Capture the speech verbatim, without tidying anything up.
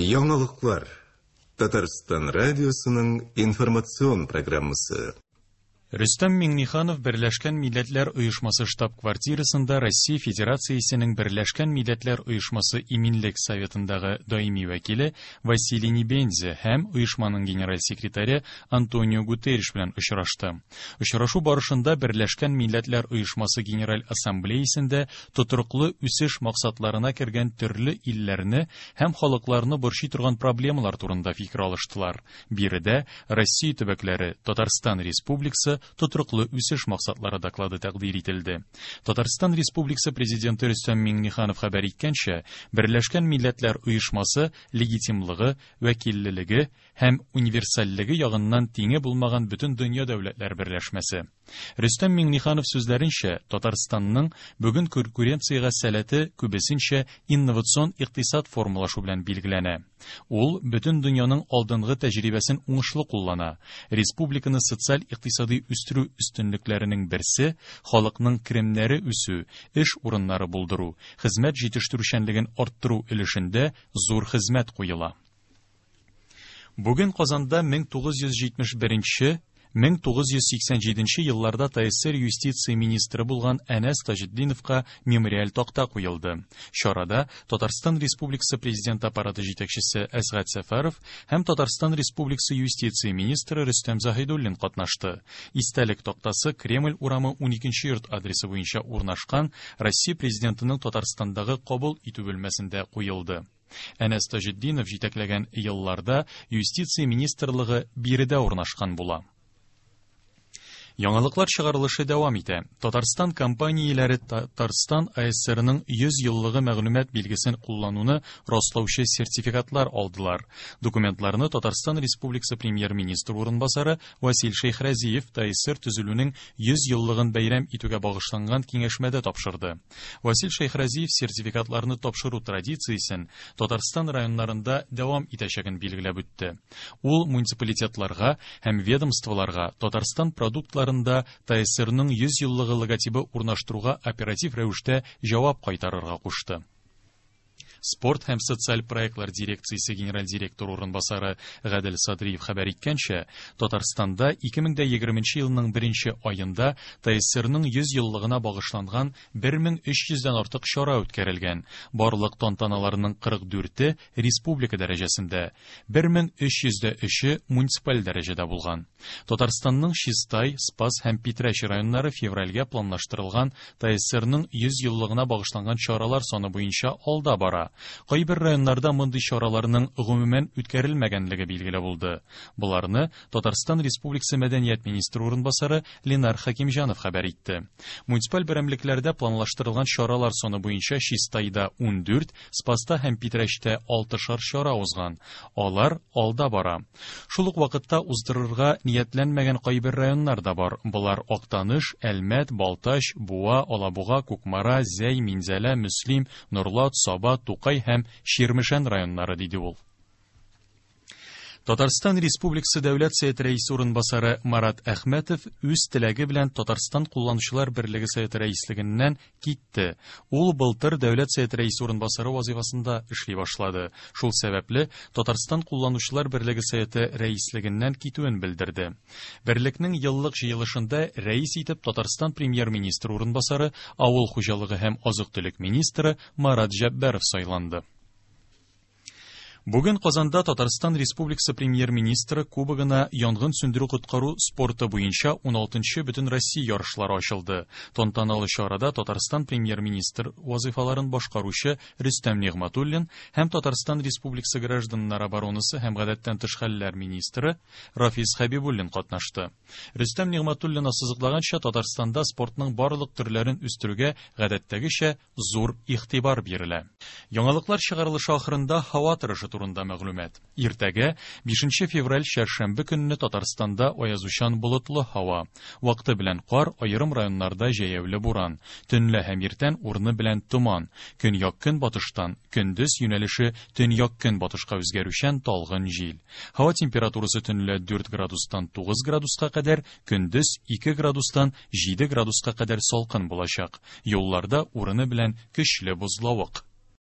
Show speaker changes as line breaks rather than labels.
Яңалыклар. Татарстан радиосының информацион программасы.
Рөстәм Миңнеханов Берләшкән Милләтләр Оешмасы штаб-квартирасында Россия Федерациясенең Берләшкән Милләтләр Оешмасы Иминлек Советындагы даими вәкиле Василий Небензя һәм оешманың генераль секретаре Антонио Гутерриш белән очрашты. Очрашу барышында Берләшкән Милләтләр Оешмасы Генераль Ассамблеясендә тотрыклы үсеш максатларына кергән төрле илләрне һәм халыкларны борчый торган проблемалар турында фикер алыштылар. Биредә Россия төбәкләре, Татарстан Республикасы тотрыклы үсеш максатлары доклады тәкъдир ителде. Татарстан Республикасы Президенты Рөстәм Миңнеханов хәбәр иткәнчә, Берләшкән Милләтләр Оешмасы легитимлыгы, вәкиллелеге һәм универсальлеге ягыннан тиңе булмаган бөтен дөнья дәүләтләр берләшмәсе. Рөстәм Миңнеханов сүзләренчә, Татарстанның бүген конкуренциягә сәләте күбесенчә инновацион икътисад формалашу белән билгеләнә. Ул бөтен дөньяның алдынгы тәҗрибәсен уңышлы куллана. Республиканы социаль-икътисади үстерү өстенлекләренең берсе халыкның керемнәре үсү, эш урыннары булдыру, хезмәт җитештерүчәнлеген арттыру өлешендә зур хезмәт куела. Бүген Казанда мең тугыз йөз җитмеш беренче мең тугыз йөз сиксән җиденче елларда ТАССР юстиция министры булган Әнәс Таҗетдиновка мемориаль такта куелды. Чарада Татарстан Республикасы Президенты аппараты җитәкчесе Әсгать Сәфәров һәм Татарстан Республикасы юстиция министры Рөстәм Заһидуллин катнашты. Истәлек тактасы Кремль урамы уникенче йорт адресы буенча урнашкан Россия Президентының Татарстандагы кабул итү бүлмәсендә куелды. Әнәс Таҗетдинов җитәкләгән елларда юстиция министрлыгы биредә урнашкан була. Яңалыклар чыгарылышы дәвам итә. Татарстан компанияләре Татарстан АССРның йөз еллыгы мәгълүмат билгесен куллануны раслаучы сертификатлар алдылар. Документларны Татарстан Республикасы премьер-министры урынбасары Васил Шәйхразиев ТАССР төзелүнең йөз еллыгын бәйрәм итүгә багышланган киңәшмәдә тапшырды. Васил Шәйхразиев сертификатларны тапшыру традициясен Татарстан районнарында дәвам итәчәген билгеләп үтте. Ул муниципалитетларга һәм ведомстволарга Татарстан продуктлары ТАССРның йөз еллыгы логотибы урнаштыруга оператив рәвештә җавап кайтарырга кушты. Спорт һәм социаль проектлар дирекциясе генераль директоры урынбасары Гадел Садриев хәбәр иткәнчә, Татарстанда ике мең дә егерменче елның беренче аенда ТАССРның йөз еллыгына багышланган бер мең өч йөздән артык чара үткәрелгән. Барлык тантаналарның кырык дүрте республика дәрәҗәсендә, бер мең өч йөздә өче муниципаль дәрәҗәдә булган. Татарстанның Чистай, Спас һәм Питрәч районнары февральгә планлаштырылган ТАССРның йөз еллыгына багышланган чаралар саны буенча алда бара. Кайбер районнарда мондый чараларның гомумән үткәрелмәгәнлеге билгеле булды. Боларны Татарстан Республикасы Мәдәният министры урынбасары Ленар Хәкимҗанов хәбәр итте. Муниципаль берәмлекләрдә планлаштырылган чаралар саны буенча Чистайда ундүрт, Спаста һәм Питрәчтә алтышар чара узган. Алар алда бара. Шул ук вакытта уздырырга ниятләнмәгән кайбер районнар да бар. Болар Актаныш, Әлмәт, Балтач, Буа, Алабуга, Кукмара, Зәй, Минзәлә, Мөслим, Норлат, Саба, Тукай һәм Чирмешән районнары, диде ул. Татарстан Республикасы Дәүләт Советы рәисе урынбасары Марат Әхмәтов үз теләге белән Татарстан Кулланучылар берлеге Советы рәислегеннән китте. Ул былтыр Дәүләт Советы рәисе урынбасары вазифасында эшли башлады. Шул сәбәпле Татарстан Кулланучылар берлеге Советы рәислегеннән китүен белдерде. Берлекнең еллык җыелышында рәис итеп Татарстан премьер-министры урынбасары, авыл хуҗалыгы һәм азык-төлек министры Марат Җәббаров сайланды. Бүген Казанда Татарстан Республикасы премьер-министры кубогына янгын сүндерү-коткару спорты буенча уналтынчы бөтен Россия ярышлары ачылды. Тантаналы чарада Татарстан премьер-министр вазифаларын башкаручы Рөстәм Нигъмәтуллин һәм Татарстан Республикасы гражданнар оборонасы һәм гадәттән тыш хәлләр министры Рафис Хәбибуллин катнашты. Рөстәм Нигъмәтуллин ассызыклаганча, Татарстанда спортның барлык төрләрен үстерүгә гадәттәгечә зур игътибар бирелә. Яңалыклар чыгарылышы ахырында һава торышы турында мәгълүмат. Иртәгә бишенче февраль чәршәмбе көнне Татарстанда аязучан болытлы һава. Вакыты белән кар, аерым районнарда җәяүле буран. Төнлә һәм иртән урыны белән томан. Көньяк-көнбатыштан көндез юнәлеше төньяк-көнбатышка үзгәрүчән талгын җил. Һава температурасы төнлә дүрт градустан тугыз градуска кадәр, көндез ике градустан җиде градуска кадәр салкын булачак. Юлларда урыны белән көчле бозлавык.